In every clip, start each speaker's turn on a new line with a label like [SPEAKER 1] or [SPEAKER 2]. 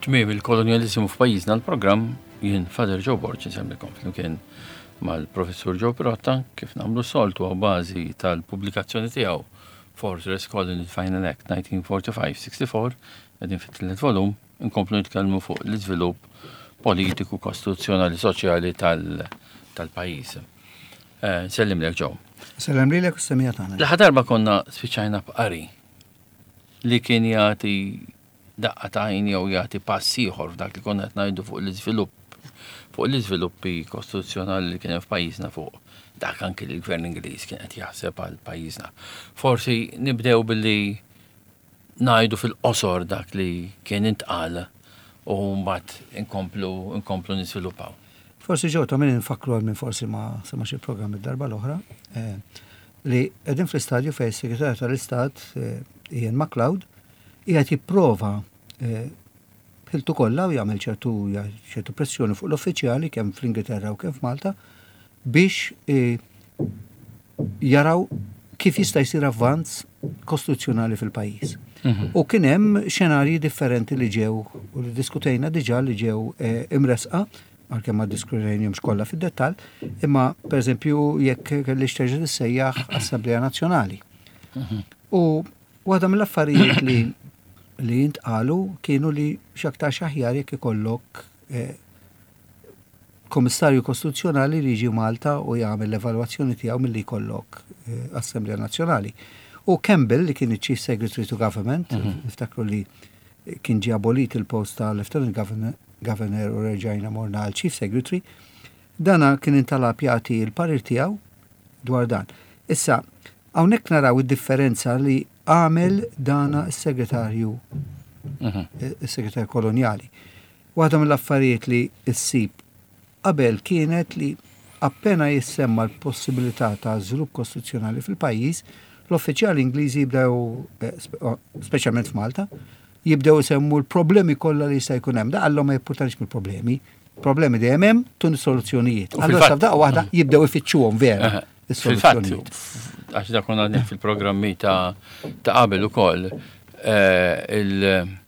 [SPEAKER 1] Tmiem il-kolonjaliżmu f'pajjiżna l-programm jien Father Joe Borg insemmikom flimkien mal-Professur Joe Pirotta kif nagħmlu soltu għaw bażi tal-pubblikazzjoni tiegħu Fortress Colony Final Act 1945-64 qegħdin fit-tielet volum inkomplu nitkellmu fuq l-iżvilupp politiku, kostituzzjonali, soċjali tal-pajjiż. Eh, Sellimlek Joe.
[SPEAKER 2] Sellem lilek u semija tagħna.
[SPEAKER 1] L-aħħar darba konna spiċċajna b'qari li kien jagħti daqqa ta' għajn jew jagħti pass ieħor f'dak li konna qed ngħidu fuq l-iżvilupp fuq l-iżviluppi kostituzzjonali li kien hemm f'pajjiżna fuq dak anki li l-Gvern Ingliż kien qed jaħseb għal pajjiżna. Forsi nibdew billi ngħidu fil-qosor dak li kien intqal u mbagħad inkomplu inkomplu niżviluppaw.
[SPEAKER 2] Forsi ġew ta' min infakkru għal min forsi ma semax il-programm id-darba l-oħra, eh, li qegħdin fl-istadju fejn is-Segretarju tal-Istat eh, Ian MacLeod qiegħed jipprova eh, b'ħiltu kollha u jagħmel ċertu ċertu pressjoni fuq l-uffiċjali kemm fl-Ingilterra u kemm f'Malta biex jaraw kif jista' jsir avvanz kostituzzjonali fil-pajjiż. Mhm. U kien hemm xenarji differenti li ġew u li diskutejna diġà li ġew eh, imresqa għalkemm ma diskutejnihomx kollha fid-dettall, imma pereżempju jekk kellix terġa' tissejjaħ Assemblea Nazzjonali. Mhm. U waħda mill-affarijiet li li jintqalu kienu li x'aktar xaħjar jekk ikollok eh, Kummissarju Kostituzzjonali li jiġi Malta u jagħmel l-evalwazzjoni tiegħu milli jkollok eh, Assemblea Nazzjonali. U Campbell li kien iċ-Chief Secretary to Government, mhm. niftakru li kien ġie abolit il-post ta' Lieutenant Governor, Governor u reġajna morna għal Chief Secretary, dana kien intalab jagħti l-parir tiegħu dwar dan. Issa, hawnhekk naraw id-differenza li għamel dana s-segretarju mhm. is-segretarju kolonjali. Waħda mill-affarijiet li ssib qabel kienet li appena jissemma l-possibilità ta' żvilupp kostituzzjonali fil-pajjiż, l-uffiċjali Ingliżi jibdew, eh, speċjalment f'Malta, jibdew isemmu l-problemi kollha li jista' jkun hemm. Da qallhom ma jippurtanix mill-problemi. Problemi dejjem hemm, tun soluzzjonijiet. Allura sa f'daqqa waħda jibdew ifittxuhom vera.
[SPEAKER 1] Fil-fatt, għax da konna fil-programmi ta' qabel ukoll, eh, il-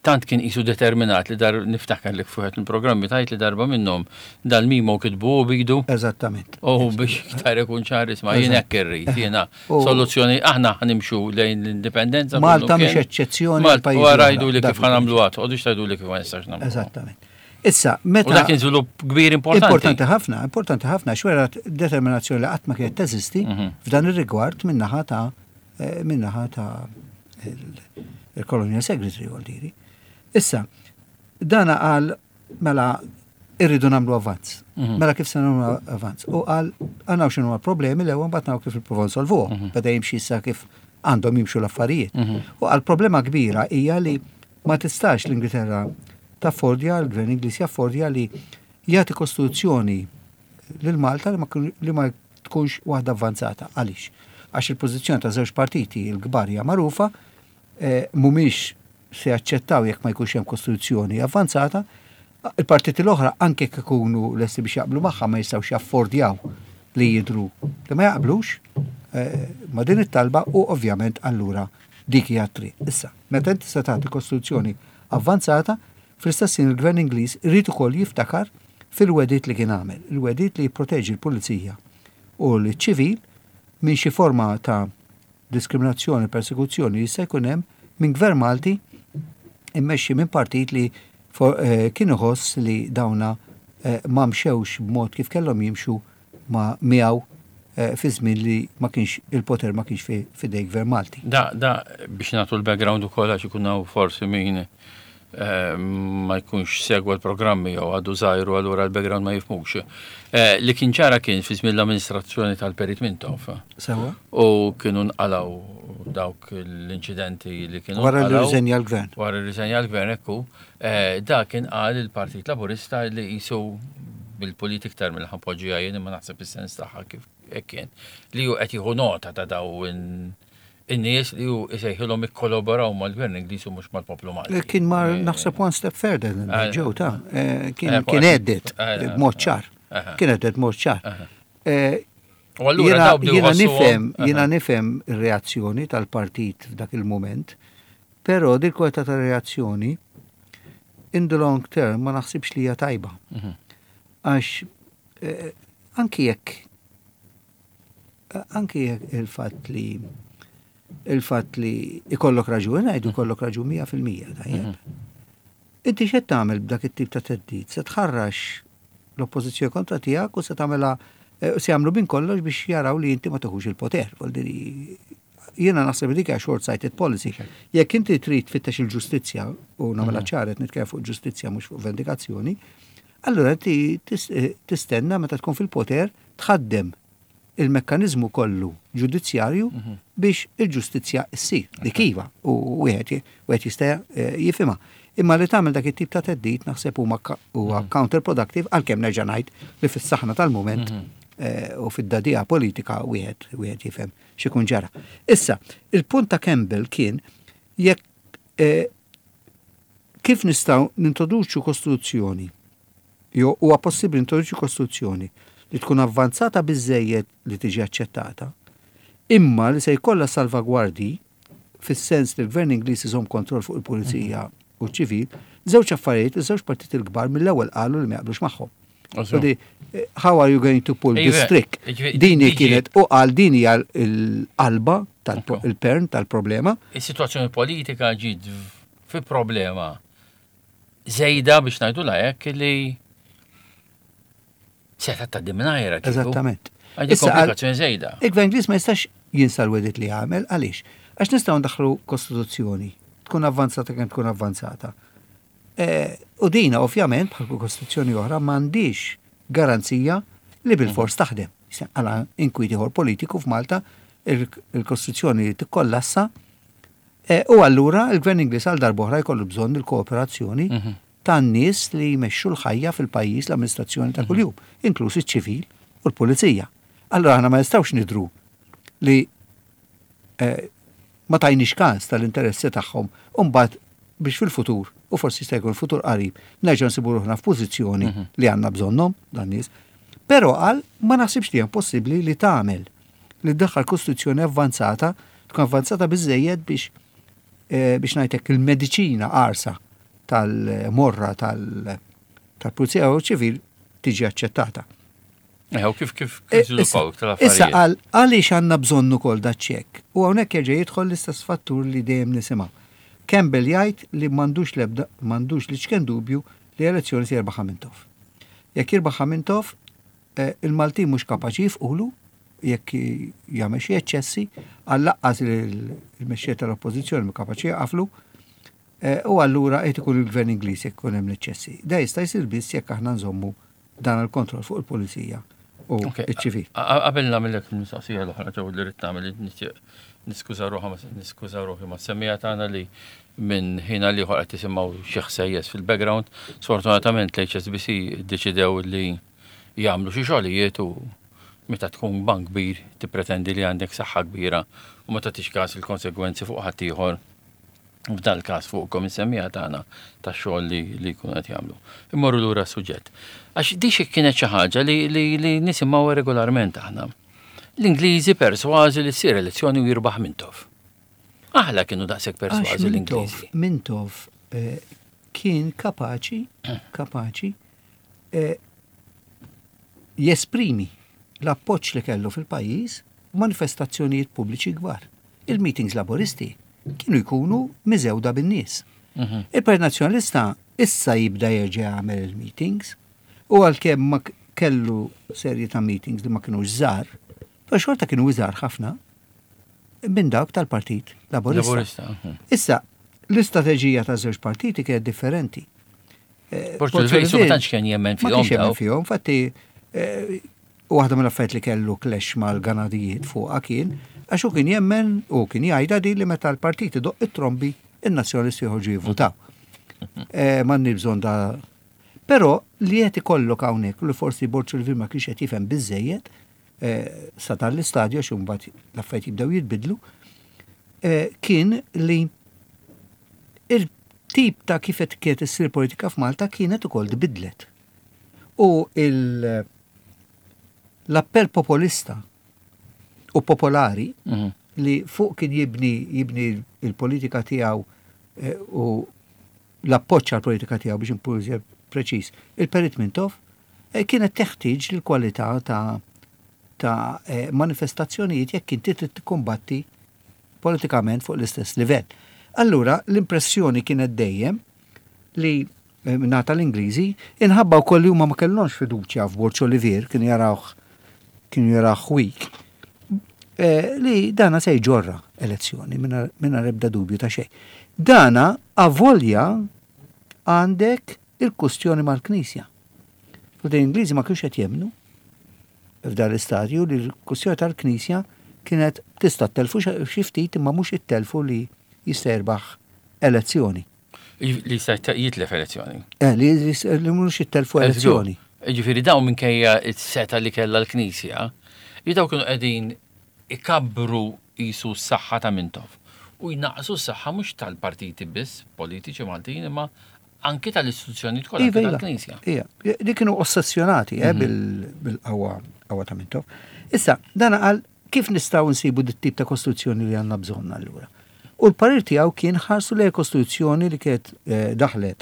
[SPEAKER 1] Tant kien qisu determinat li dar niftakar li f'wieħed mill-programmi tajt li darba minnhom dal-memo kitbu hu b'idu.
[SPEAKER 2] Eżattament.
[SPEAKER 1] U biex iktar ikun ċar isma' jien hekk irrid, jiena soluzzjoni aħna ħanimxu lejn l-indipendenza.
[SPEAKER 2] Malta mhix eċċezzjoni.
[SPEAKER 1] Malta wara jgħidu li kif ħanamlu għad, qogħdux tgħidu li kif ma nistax nagħmlu.
[SPEAKER 2] Eżattament. Issa, meta.
[SPEAKER 1] U dak kien żvilupp kbir importanti.
[SPEAKER 2] Importanti ħafna, importanti ħafna, xwera determinazzjoni li qatt ma kienet teżisti mhm. f'dan ir-rigward min-naħa ta' eh, min-naħa ta' il-Colonial Secretary għol diri. Issa, dana qal mela irridu namlu avvanz. Mhm. Mela kif se namlu avvanz? U qal għanaw xinu problemi l-ewwel mbagħad naraw kif il-provaw nsolvuhom. Mhm. Beda jimxi issa kif għandhom jimxu l-affarijiet. Mhm. U qal problema kbira hija li ma tistax l-Ingilterra taffordja, l-Gvern Ingliż jaffordja li jagħti kostituzzjoni lil Malta li ma tkunx waħda avvanzata. Għaliex? Għax il-pożizzjoni ta' żewġ partiti l-kbar hija magħrufa, eh, mhumiex se jaċċettaw jekk ma jkunx hemm kostituzzjoni avvanzata, il-partiti l-oħra anke jekk ikunu lesti biex jaqblu magħha ma jistgħux jaffordjaw li jidru li ma jaqblux eh, ma din it-talba u ovvjament allura dik hija triq. Issa, meta inti se tagħti kostituzzjoni avvanzata, fl-istess il-Gvern Ingliż irid ukoll jiftakar fil-wegħdiet li kien għamel, il-wegħdiet li jipproteġi l-pulizija u l-ċivil minn xi forma ta' diskriminazzjoni, persekuzzjoni li jista' jkun hemm minn gvern Malti immexxi minn partit li eh, kien iħoss li dawna eh, ma mxewx b'mod kif kellhom jimxu ma miegħu eh, fi żmien li ma kienx il-poter ma kienx fidej gvern Malti.
[SPEAKER 1] Da, da biex nagħtu l-background ukoll għax ikun hawn forsi min eh, ma jkunx segwa l-programmi jew għadu żgħir u allura l-background ma jifhmux. Eh, li kien ċara kien fi żmien l-amministrazzjoni tal-Perit Mintoff.
[SPEAKER 2] Sewa.
[SPEAKER 1] U kienu nqalaw dawk l-inċidenti li kienu.
[SPEAKER 2] Wara li riżenja l-gvern.
[SPEAKER 1] Wara li riżenja l-gvern ekku. Eh, da kien qal il-Partit Laburista li jisu bil-pulit iktar mill ħapoġġija jien imma naħseb is-sens tagħha kif hekk kien li hu qed jieħu nota ta' daw in-nies li hu isejħilhom ikkolaboraw mal-Gvern Ingliż u mhux mal-poplu Malti.
[SPEAKER 2] Eh, kien mar eh, naħseb one step further than that, ġew ta' kien kien għedded b'mod ċar. Kien għedded b'mod ċar.
[SPEAKER 1] U allura
[SPEAKER 2] jiena nifhem jiena nifhem ir-reazzjoni tal-partit f'dak il-mument Però dil-kwalità ta' reazzjoni in the long term ma naħsibx li hija tajba. Għax anki jekk anki jekk il-fatt li il-fatt li ikollok raġun, ngħidu jkollok raġun 100%, tajjeb. Inti x'qed tagħmel b'dak it-tip ta' theddid? Se tħarrax l-oppożizzjoni kontra tiegħek u se tagħmilha se jagħmlu minn kollox biex jaraw li inti ma tieħux il-poter. Jiena naħseb li dik hija short-sighted policy. Jekk inti trid tfittex il-ġustizzja u nagħmilha ċara qed nitkellem fuq ġustizzja mhux fuq vendikazzjoni, allura inti tistenna meta tkun fil-poter tħaddem il-mekkaniżmu kollu ġudizzjarju biex il-ġustizzja ssir. Dik iva, u wieħed wieħed jista' jifhimha. Imma li tagħmel dak it-tip ta' theddid naħseb huma huwa counterproductive għalkemm nerġa' ngħid li fis-saħna tal-mument u fid-dadija politika wieħed wieħed jifhem x'ikun ġara. Issa, il-punt ta' Campbell kien jekk kif nistgħu nintroduċu kostituzzjoni jew huwa possibbli nintroduċu kostituzzjoni li tkun avvanzata biżejjed li tiġi aċċettata, imma li se jkollha salvagwardji fis-sens li l-Gvern Ingliż iżomm kontroll fuq il-pulizija u ċ-ċivil, żewġ affarijiet, iż-żewġ partiti l-kbar mill-ewwel qalu li ma jaqblux magħhom. How are you going to pull this trick? Dini kienet u qal din hija l-qalba tal-pern tal-problema.
[SPEAKER 1] Is-sitwazzjoni politika ġiet fi problema żejda biex ngħidu hekk li seta' tgħaddi mingħajrha.
[SPEAKER 2] Eżattament.
[SPEAKER 1] Issa komplikazzjoni żejda.
[SPEAKER 2] Il-Gvern Ingliż ma jistax jinsa l-wedit li għamel għaliex? Għax nistgħu ndaħħlu kostituzzjoni tkun avvanzata kemm tkun avvanzata. U dina ovvjament bħal kull kostituzzjoni oħra m'għandix garanzija li bil-fors taħdem. Għala inkwiet ieħor politiku f'Malta il-kostituzzjoni tikkollassa u allura il-Gvern Ingliż għal darb'oħra jkollu bżonn il-kooperazzjoni tan-nies li jmexxu l-ħajja fil-pajjiż l-amministrazzjoni ta' kuljum, inkluż iċ-ċivil u l-pulizija. Allura aħna ma nistgħux nidru li ma tajniex każ tal-interessi tagħhom u mbagħad biex fil-futur, u forsi jista' jkun futur qarib, nerġgħu nsibu ruħna f'pożizzjoni li għandna bżonnhom dan nies. Però qal ma naħsibx li hemm possibbli li tagħmel li ddaħħal kostituzzjoni avvanzata, tkun avvanzata biżejjed biex biex ngħidlek il-mediċina qarsa tal-morra tal-pulizija u ċivil tiġi aċċettata.
[SPEAKER 1] U kif kif żviluppaw iktar affarijiet?
[SPEAKER 2] Issa qal għaliex għandna bżonn ukoll daċ-ċekk. U hawnhekk jerġa' jidħol l-istess fattur li dejjem nisimgħu. Campbell jgħid li m'għandux l-ebda m'għandux l-iċken dubju li elezzjoni se jirbaħha Mintoff. Jekk jirbaħha Mintoff, il-Maltin mhux kapaċi jifqulu jekk jagħmel xi eċċessi, għal-laqqas il-mexxej tal-Oppożizzjoni mhu kapaċi jaqaflu, u allura qed ikun il-Gvern Ingliż jekk ikun hemm l-eċċessi. Da jista' jsir biss jekk aħna nżommu dan il-kontroll fuq il-pulizija u ċ-ċivil.
[SPEAKER 1] Qabel nagħmellek il-mistoqsija l-oħra ġew li rrid nagħmel nixtieq niskuża ruħha niskuża ruħi mas-semmiegħa tagħna li minn ħin għal ieħor qed tisimgħu xi ħsejjes fil-background. Sfortunatament l-HSBC ddeċidew li jagħmlu xi xogħlijiet u meta tkun bank kbir tippretendi li għandek saħħa kbira u ma tagħtix każ il-konsegwenzi fuq ħaddieħor f'dal każ fuqkom is-semmiegħa tagħna tax-xogħol li li jkunu qed jagħmlu. Immorru lura s-suġġett. Għax di xi kienet xi ħaġa li li li nisimgħu regolarment aħna. L-Ingliżi persważi li ssir elezzjoni u jirbaħ Mintoff. Aħla kienu daqshekk persważi l-Ingliżi.
[SPEAKER 2] Mintoff kien kapaċi, kapaċi jesprimi l-appoġġ li kellu fil-pajjiż manifestazzjonijiet pubbliċi kbar. Il-meetings laboristi kienu jkunu miżewda bin-nies. Il-Partit Nazzjonalista issa jibda jerġa' jagħmel il-meetings u għalkemm ma kellu serje ta' meetings li ma kinux żgħar, però xorta kienu iżgħar ħafna minn dawk tal-Partit Laburista. Issa, l-istrateġija ta' żewġ partiti kienet differenti.
[SPEAKER 1] Portu l-Vejsu ma tantx kien jemmen fihom. Ma kienx
[SPEAKER 2] jemmen fihom, infatti waħda mill-affarijiet li kellu clash mal-Ganadijiet fuqha kien għax hu kien jemmen u kien jgħidha din li meta l-partit idoqq it-trombi in-Nazzjonalisti joħorġu jivvutaw. M'għandniex bżonn da. Però li qed ikollok hawnhekk li forsi Borg Silvin ma kienx qed jifhem biżejjed sa dan l-istadju għax imbagħad l-affarijiet jibdew jitbidlu, kien li il-tip ta' kif qed kienet issir politika f'Malta kienet ukoll tbidlet. U l-appell popolista u popolari li fuq kien jibni jibni il-politika tiegħu u l-appoġġ għall-politika tiegħu biex inkun iżjed preċiż, il-Perit Mintoff, kienet teħtieġ l-kwalità ta' ta' manifestazzjonijiet jekk inti trid tikkumbatti politikament fuq l-istess livell. Allura l-impressjoni kienet dejjem li mingħata l-Ingliżi, inħabba wkoll li huma ma kellhomx fiduċja f'Borg Olivier, kienu jarawh kienu jarawh weak, li dana se jġorra elezzjoni mingħajr ebda dubju ta' xejn. Dana avolja għandek il-kustjoni mal-Knisja. U l-Ingliżi ma kienx qed jemmnu f'dan l-istadju li l-kustjoni tal-Knisja kienet tista' telfu xi ftit imma mhux ittelfu li jista' jirbaħ elezzjoni.
[SPEAKER 1] Li jista' jitlef elezzjoni.
[SPEAKER 2] Li mhux jittelfu elezzjoni.
[SPEAKER 1] Ġifieri dawn minkejja s-seta li kellha l-Knisja, li dawn kienu qegħdin ikabbru qisu s-saħħa ta' Mintoff u jnaqqsu s-saħħa mhux tal-partiti biss politiċi Maltin imma anki tal-istituzzjonijiet kollha
[SPEAKER 2] Iva, iva.
[SPEAKER 1] tal-Knisja.
[SPEAKER 2] Ija, li kienu ossessjonati bil-qawwa qawwa ta' Mintoff. Issa, dan qal kif nistgħu nsibu dit-tip ta' kostruzzjoni li għandna bżonn allura. U l-parir tiegħu kien ħarsu lejn kostruzzjoni li kienet daħlet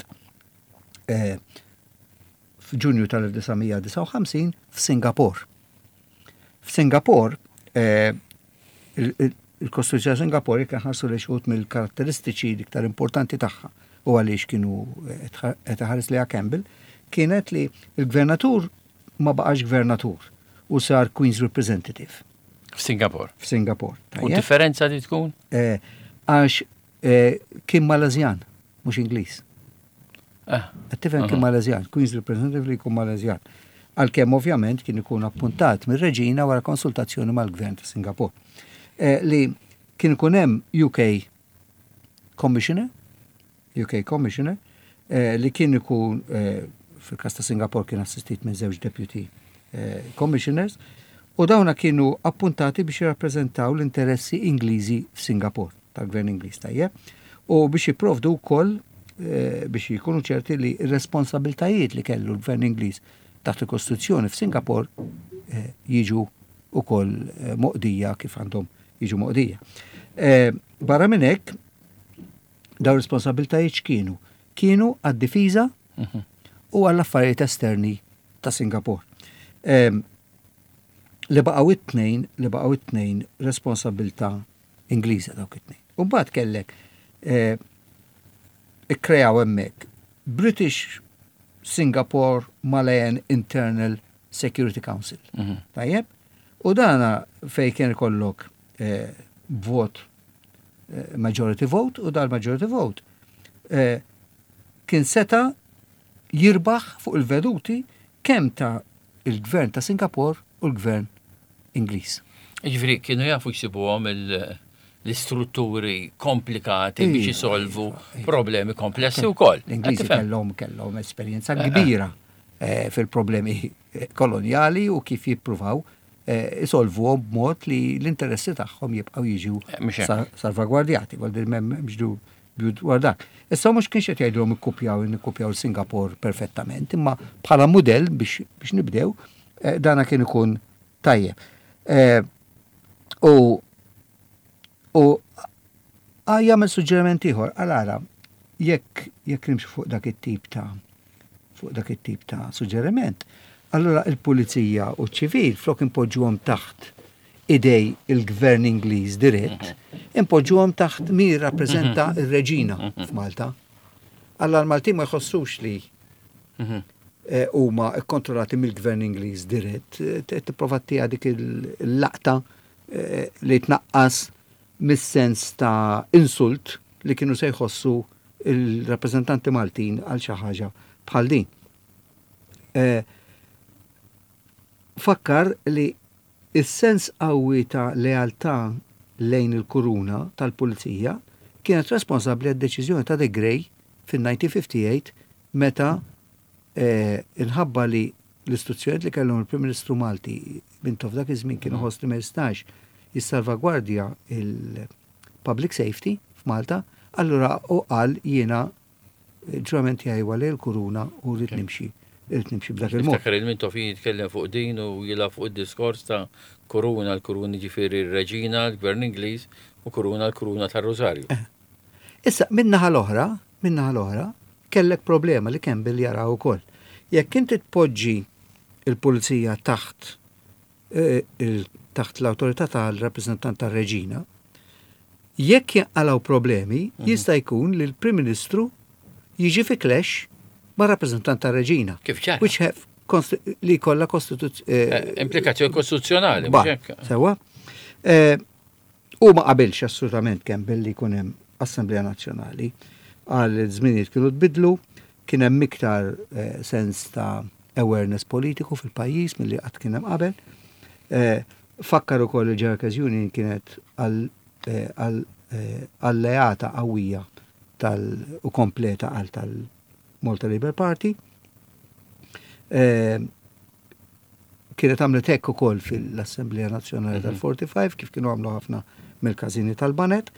[SPEAKER 2] f'Ġunju tal-1959 f'Singapore. F'Singapore, il-Kostituzzjoni ta' Singapore jekk ħarsu li xi wħud mill-karatteristiċi l-iktar importanti tagħha u għaliex kienu qed iħares lejha Campbell, kienet li l-gvernatur ma baqax gvernatur u sar Queen's Representative.
[SPEAKER 1] F'Singapore.
[SPEAKER 2] F'Singapore.
[SPEAKER 1] U differenza li tkun?
[SPEAKER 2] Għax kien Malazjan, mhux Ingliż. Qed tifhem kien Malazjan, Queen's Representative li jkun Malazjan. Għalkemm ovvjament kien ikun appuntat mir-reġina wara konsultazzjoni mal-gvern ta' Singapore. Li kien ikun hemm UK Commissioner, UK Commissioner, li kien ikun fil-każ ta' Singapore kien assistit minn żewġ deputy commissioners, u dawna kienu appuntati biex jirrappreżentaw l-interessi Ingliżi f'Singapore, tal-gvern Ingliż tajjeb, u biex jipprovdu wkoll biex jkunu ċerti li r-responsabiltajiet li kellu l-gvern Ingliż taħt il-Kostituzzjoni f'Singapore jiġu wkoll moqdija kif għandhom jiġu moqdija. Barra minn hekk, dawn responsabiltajiet x'kienu? Kienu għad-difiża u għall-affarijiet esterni ta' Singapore. Li baqgħu it-tnejn, li baqgħu it-tnejn responsabilta Ingliża dawk it-tnejn. U mbagħad kellek ikkreaw hemmhekk British Singapore Malayan Internal Security Council. Tajjeb? U dana fej kien ikollok vot majority vote u dal majority vote kien seta jirbaħ fuq il-veduti kemm ta' il-gvern ta' Singapore u l-gvern Ingliż.
[SPEAKER 1] Ġifieri kienu jafu jsibuhom l-istrutturi komplikati biex jisolvu problemi komplessi wkoll.
[SPEAKER 2] L-Ingliżi kellhom esperjenza kbira fil-problemi kolonjali u kif jippruvaw isolvuhom b'mod li l-interessi tagħhom jibqgħu jiġu
[SPEAKER 1] Mhux hekk.
[SPEAKER 2] salvagwardjati. Għal din m'hemmx dubju dwar dak. Issa mhux kienx qed jgħidulhom ikkupjaw Singapore perfettament, imma bħala mudell biex nibdew, dana kien ikun tajjeb. U jagħmel suġġeriment ieħor, għal ara, jekk nimxu fuq dak it-tip ta' fuq dak it-tip ta' suġġeriment, allura il-pulizija u ċ-ċivil flok impoġġuhom taħt idej il-gvern Ingliż dirett, impoġġuhom taħt min jirrappreżenta r-reġina f'Malta. Alla l-Maltin ma jħossux li huma kkontrollati mill-gvern Ingliż dirett, tipprova ttiha dik il-laqta li tnaqqas mis-sens ta' insult li kienu se jħossu il-rappreżentanti Maltin għal xi ħaġa bħal din. Fakkar li is-sens qawwi ta' lealtà lejn il-kuruna tal-pulizija kienet responsabbli għad-deċiżjoni ta' De Grey fin-1958 meta inħabba li l-istruzzjonijiet li kellhom il-Prim Ministru Malti Mintoff dak iż-żmien kienu ħoss li ma jistax jissalvagwardja il-public safety f'Malta, allura u qal jiena ġurament tiegħi huwa lejn il-kuruna u rrid nimxi, rrid nimxi b'dak il-mod.
[SPEAKER 1] Niftakar il-Mintoff jitkellem fuq din u jilgħab fuq id-diskors ta' kuruna, l-kuruna ġifieri r-reġina, l-gvern Ingliż, u kuruna l-kuruna tar-Rosario.
[SPEAKER 2] Issa, min-naħa l-oħra, min-naħa l-oħra, kellek problema li Campbell jara wkoll. Jekk inti tpoġġi il-pulizija taħt eh, taħt l-awtorità tal-rappreżentant tar-reġina, jekk jinqalgħu problemi, jista' jkun li l-Prim Ministru jiġi fi clash ma' rappreżentant tar-reġina.
[SPEAKER 1] Kif ġara?
[SPEAKER 2] Which have li kollha kostituzzjoni.
[SPEAKER 1] Eh, eh, implikazzjoni kostituzzjonali.
[SPEAKER 2] Sewa. Eh, u ma qabilx assolutament kemm billi jkun hemm Assemblea Nazzjonali għal żminijiet kienu tbidlu, kien hemm iktar sens ta' awareness politiku fil-pajjiż milli qatt kien hemm qabel. Fakkar ukoll li Ġerkes Union kienet alleata qawwija tal u kompleta għal tal-Malta Labour Party. Eh, kienet għamlet hekk ukoll fil-Assemblea Nazzjonali tal-45 kif kienu għamlu ħafna mill-każini tal-Banet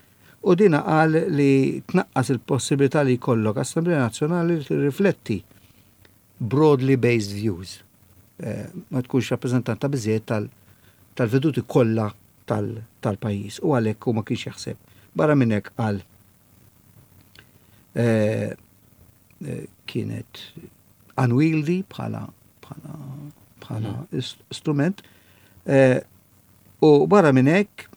[SPEAKER 2] u dina qal li tnaqqas il-possibilità li jkollok Assemblea Nazzjonali li tirrifletti broadly based views. Eh, ma tkunx rappreżentanta biżejjed tal-veduti kollha tal-pajjiż u għalhekk hu ma kienx jaħseb. Barra minn hekk qal eh, eh, kienet unwieldy bħala bħala bħala hmm. strument eh, u barra minn hekk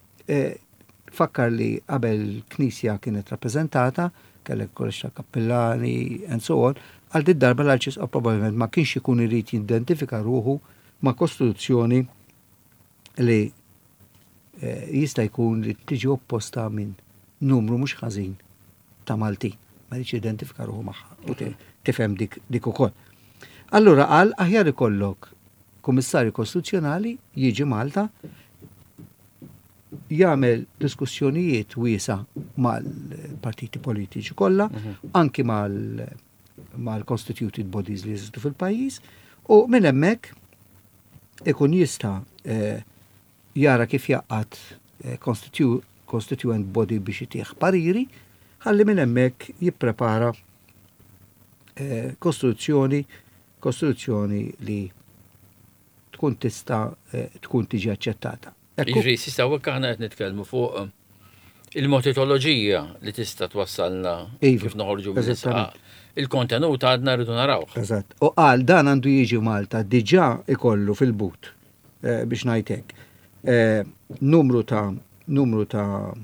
[SPEAKER 2] fakkar li qabel knisja kienet rappreżentata kellek kollox ta' kappillani and so on, għal dit darba l-arċisqof probabbilment ma kienx ikun irid jidentifika ruħu ma' kostituzzjoni li eh, jista' jkun li tiġi opposta minn numru mhux ħażin ta' Maltin. Ma jridx jidentifika ruħu magħha u tifhem dik, dik ukoll. Allura qal aħjar ikollok kummissarju kostituzzjonali jiġi Malta jagħmel diskussjonijiet wiesa mal-partiti politiċi kollha, mhm. anki mal-constituted bodies li jeżistu fil-pajjiż, u minn hemmhekk ikun jista' eh, jara kif jaqgħad eh, constituent body biex itih pariri, ħalli minn hemmhekk jipprepara eh, kostituzzjoni kostituzzjoni li tkun tista' tkun tiġi aċċettata.
[SPEAKER 1] Jiġri, sista hawnhekk aħna qed nitkellmu fuq il-metodoloġija li tista' twassalna iva, kif noħorġu mill Il-kontenut għadna rridu naraw.
[SPEAKER 2] Eżatt. U qal dan għandu jiġi Malta diġà ikollu fil-but eh, biex ngħidlek. Eh, numru ta' numru ta'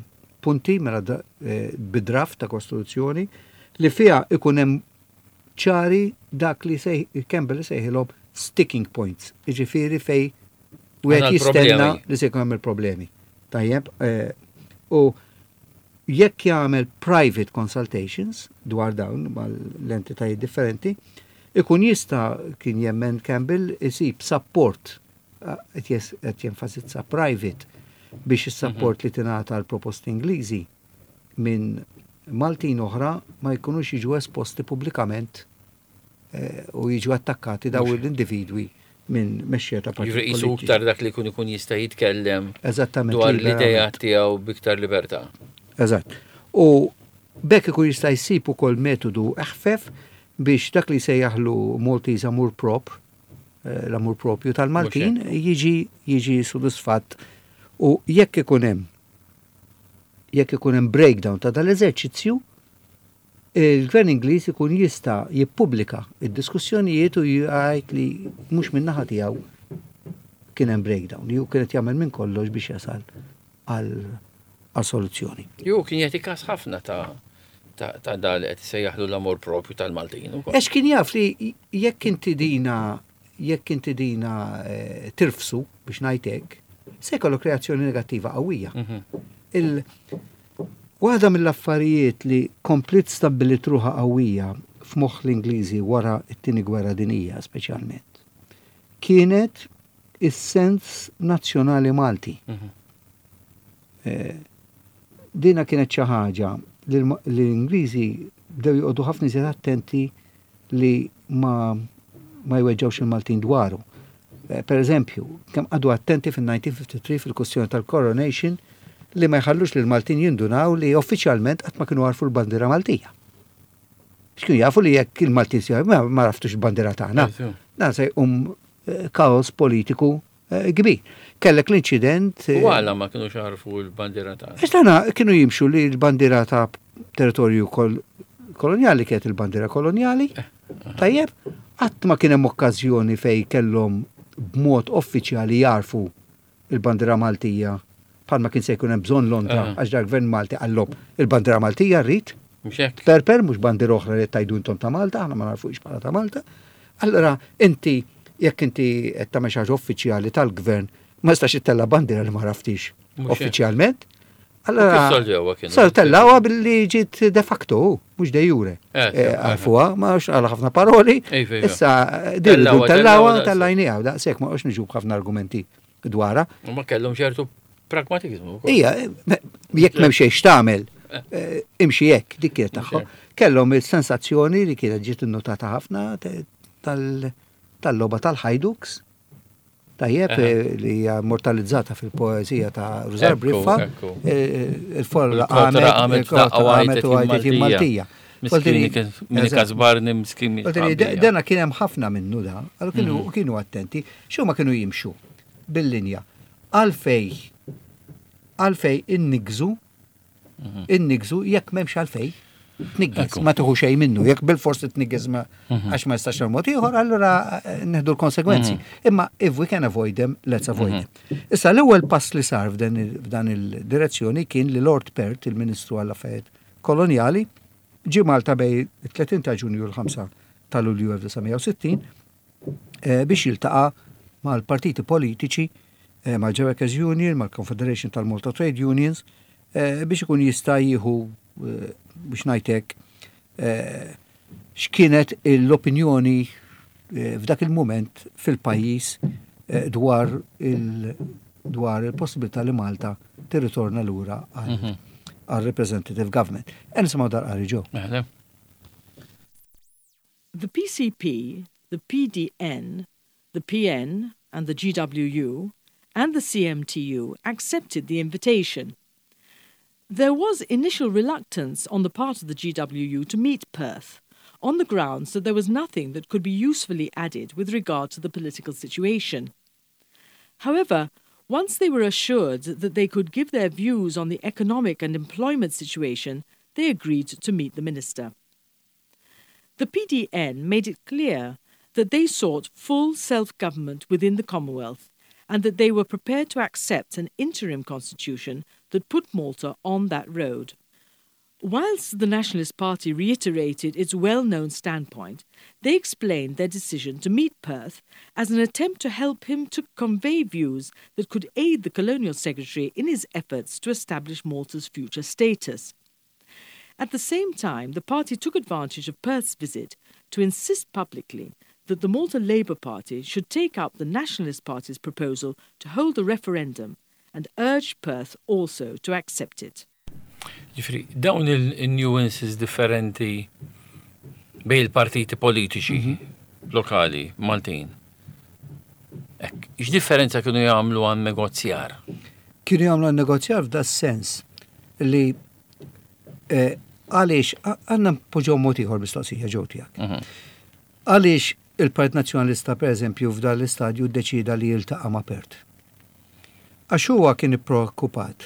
[SPEAKER 2] punti mela eh, bidraft ta' kostruzzjoni li fiha ikun hemm ċari dak li Campbell sejħilhom sticking points, jiġifieri fej wieħed jistenna li se jkun hemm il-problemi. Tajjeb, eh, u jekk jagħmel private consultations dwar dawn mal-entitajiet differenti, ikun jista' kien jemmen Campbell isib support eh, qed jenfasizza private biex is-support mhm. li tingħata l proposti Ingliżi minn Maltin oħra ma jkunux jiġu esposti pubblikament eh, u jiġu attakkati daw l-individwi minn mexxija ta'
[SPEAKER 1] partit. Jiġri qisu iktar dak li jkun ikun jista' jitkellem
[SPEAKER 2] Eżattament
[SPEAKER 1] dwar l-idea tiegħu biktar libertà.
[SPEAKER 2] Eżatt. U bekk ikun jista' jsib ukoll metodu eħfef biex dak li sejjaħlu Maltese Amour Propre, eh, l-amur propju tal-Maltin, jiġi jiġi sodisfatt u jekk ikun hemm jekk ikun hemm breakdown ta' dal-eżerċizzju, il-Gvern Ingliż ikun jista' jippubblika id-diskussjonijiet u jgħid li mhux min-naħa tiegħu kien hemm breakdown, ju kienet jagħmel minn kollox biex jasal għal soluzzjoni.
[SPEAKER 1] Ju kien jagħti każ ħafna ta' ta' da li qed isejjaħlu l-amor propju tal-Maltin
[SPEAKER 2] ukoll. Għax kien jaf li jekk inti dina jekk inti dina eh, tirfsu biex ngħid hekk, se jkollok reazzjoni negattiva qawwija. Mhm. Il Waħda mill-affarijiet li kompliet stabbiliet ruħha qawwija f'moħħ l-Ingliżi wara t-Tieni Gwerra Dinjija speċjalment, kienet is-sens nazzjonali Malti. Mhm. Eh, dina kienet xi ħaġa li l-Ingliżi bdew joqogħdu ħafna iżjed attenti li ma ma jweġġawx il-Maltin dwaru. Eh, per eżempju, kemm qagħdu attenti fil-1953 fil-kwestjoni tal-coronation li ma jħallux li l-Maltin jindunaw li uffiċjalment qatt ma kienu għarfu l-bandiera Maltija. X'kienu jafu li jekk il-Maltin si ma għaraftux il-bandiera tagħna. Dan se jqum eh, kaos politiku eh, kbir. Kellek l-inċident.
[SPEAKER 1] U għala ma kienu għarfu l-bandiera tagħna.
[SPEAKER 2] Għax tagħna kienu jimxu li l-bandiera ta' territorju kolonjali kienet il-bandiera kolonjali. Tajjeb, qatt ma kien hemm okkażjoni fejn kellhom b'mod uffiċjali jarfu il-bandiera Maltija bħalma kien se jkun hemm bżonn Londra għax dal-gvern Malti qallhom il-bandiera Maltija rrid.
[SPEAKER 1] Mhux hekk.
[SPEAKER 2] Perper mhux bandiera oħra li tajdu intom ta' Malta, aħna ma narfuhiex bħala ta' Malta. Allora inti jekk inti qed tagħmel xi ħaġa uffiċjali tal-gvern ma jistax ittella' bandiera li ma għaraftix
[SPEAKER 1] Mhux hekk.
[SPEAKER 2] uffiċjalment. Allora
[SPEAKER 1] Kif solvewha kienu?
[SPEAKER 2] Sar tellawha billi ġiet de facto, mhux de jure. Għarfuha, ma nafx għala ħafna paroli.
[SPEAKER 1] Iva, iva.
[SPEAKER 2] Issa din
[SPEAKER 1] Tellawha,
[SPEAKER 2] tellawha,
[SPEAKER 1] tellawha,
[SPEAKER 2] tellajniha, daqshekk ma qgħodx niġu b'ħafna argumenti dwarha.
[SPEAKER 1] U ma kellhom ċertu pragmatizmu wkoll.
[SPEAKER 2] Ija, jekk m'hemm xejn x'tagħmel, imxi hekk, dik kienet tagħhom. Kellhom il-sensazzjoni li kienet ġiet innotata ħafna tal-logħba tal-Hajduks. Tajjeb, li hija immortalizzata fil-poeżija ta' Rużar Briffa, il-folla
[SPEAKER 1] Il-kotra
[SPEAKER 2] qamet,
[SPEAKER 1] qamet
[SPEAKER 2] il-kotra
[SPEAKER 1] daqqa u
[SPEAKER 2] qamet
[SPEAKER 1] għajtet
[SPEAKER 2] u għajtet
[SPEAKER 1] jien
[SPEAKER 2] jien
[SPEAKER 1] Maltija.
[SPEAKER 2] Maltija.
[SPEAKER 1] Miskin kien min ikasbarni, miskin min jitħabbija.
[SPEAKER 2] Dana kien hemm ħafna minnu da, allura kienu attenti, x'huma kienu jimxu bil-linja. Għalfej, għalfej innigżu, innigżu jekk m'hemmx għalfej. Tniggiż, ma tieħu xejn minnu, jekk bil-forsi tniggiż ma għax ma jistax mod ieħor, allura neħdu l-konsegwenzi. Imma if we can avoid them, let's avoid them. Issa l-ewwel pass li sar f'dan il-direzzjoni kien li Lord Perth, il-Ministru għall-Affarijiet Kolonjali, ġie Malta bejn it-30 ta' Ġunju u l-5 ta' Lulju 1960 biex jiltaqa' mal-partiti politiċi, mal-Workers Union, mal-Confederation tal-Malta Trade Unions, biex ikun jista' jieħu, biex ngħidlek, x'kienet l-opinjoni f'dak il-mument fil-pajjiż dwar il-possibilità li Malta tirritorna lura għal representative government. E nisimgħu dal-qari ġew.
[SPEAKER 1] Mela.
[SPEAKER 3] The PCP, the PDN, the PN and the GWU and the CMTU accepted the invitation. There was initial reluctance on the part of the GWU to meet Perth, on the grounds that there was nothing that could be usefully added with regard to the political situation. However, once they were assured that they could give their views on the economic and employment situation, they agreed to meet the minister. The PDN made it clear that they sought full self-government within the Commonwealth and that they were prepared to accept an interim constitution that put Malta on that road. Whilst the Nationalist Party reiterated its well-known standpoint, they explained their decision to meet Perth as an attempt to help him to convey views that could aid the Colonial Secretary in his efforts to establish Malta's future status. At the same time, the party took advantage of Perth's visit to insist publicly that the Malta Labour Party should take up the Nationalist Party's proposal to hold a referendum and urged Perth also to accept it.
[SPEAKER 1] Ġifieri, dawn il-nuances differenti bejn il-partiti politiċi lokali Maltin. Ek, x'differenza kienu jagħmlu għan negozjar?
[SPEAKER 2] Kienu jagħmlu għan negozjar f'da sens li għaliex għandna npoġġew mod ieħor mistoqsija ġew tiegħek. Għaliex il-Partit Nazzjonalista pereżempju f'dan l-istadju ddeċida li jiltaqa' ma' Perth? Għax huwa kien ippreokkupat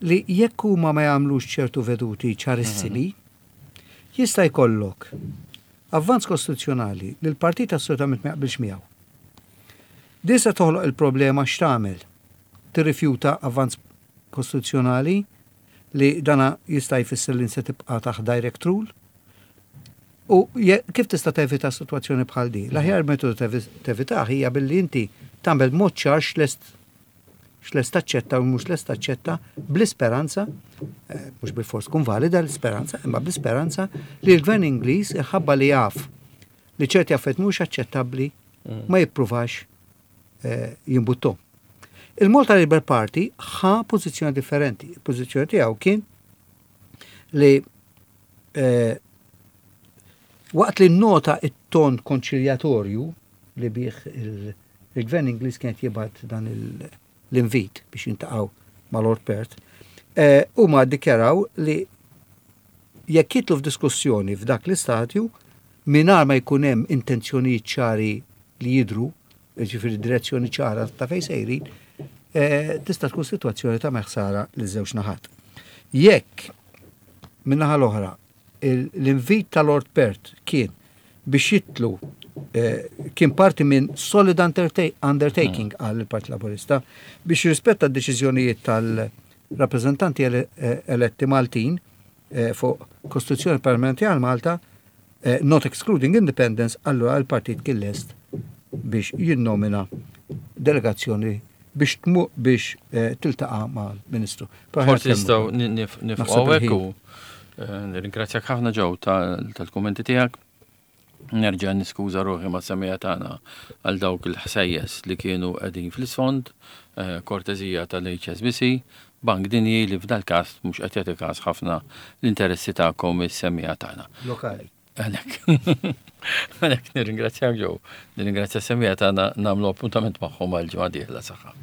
[SPEAKER 2] li jekk huma ma jagħmlux ċertu veduti ċarissimi, jista' jkollok avvanz kostituzzjonali li l-partit assolutament ma jaqbilx miegħu. Din se toħloq il-problema x'tagħmel? Tirrifjuta avvanz kostituzzjonali li dana jista' jfisser li se tibqa' taħt direct rule? U kif tista' tevita sitwazzjoni bħal di? L-aħjar metodu tevitah hija billi inti tagħmel mod ċar x'lest taċċetta u mhux lest taċċetta bl-isperanza, mhux bil-fors tkun valida l-isperanza, imma bl-isperanza li l-gvern Ingliż iħabba li jaf li ċerti affarijiet mhux aċċettabbli ma jippruvax jimbuttom. Il-Malta Labour Party ħa pożizzjoni differenti. Il-pożizzjoni tiegħu kien li waqt li nota it-ton konċiljatorju li bih il-gvern Ingliż kienet jibgħat dan l-invit biex jintaqgħu ma' Lord Perth, huma ddikjaraw li jekk jitlu f'diskussjoni f'dak l-istadju mingħajr ma jkun hemm intenzjonijiet ċari li jidru, ġifieri direzzjoni ċara ta' fejn sejrin, tista' tkun sitwazzjoni ta' meħsara li żewġ naħat. Jekk min-naħa l-oħra l-invit ta' Lord Perth kien biex jitlu eh, kien parti minn solid undertaking mm. għal il-Partit Laburista biex jirrispetta d-deċiżjonijiet tal-rappreżentanti eh, eletti Maltin eh, fuq Kostituzzjoni Permanenti għal Malta not excluding independence, allura l-partit kien lest biex jinnomina delegazzjoni biex tmu biex tiltaqa' mal-Ministru.
[SPEAKER 1] Forsi nistgħu nifqgħu hekk u nirringrazzjak ħafna ġew tal-kummenti tiegħek. Nerġa' niskuża ruħi ma' semija tagħna għal dawk il-ħsejjes li kienu qegħdin fl-isfond, eh, kortezija tal-HSBC, Bank Dinji li f'dal-każ mhux qed jagħti każ ħafna l-interessi tagħkom is-semija tagħna.
[SPEAKER 2] Lokali.
[SPEAKER 1] Għalhekk. Għalhekk nirringrazzjak ġew. Nirringrazzja semija tagħna nagħmlu appuntament magħhom għal ġimgħa dieħla saħħa.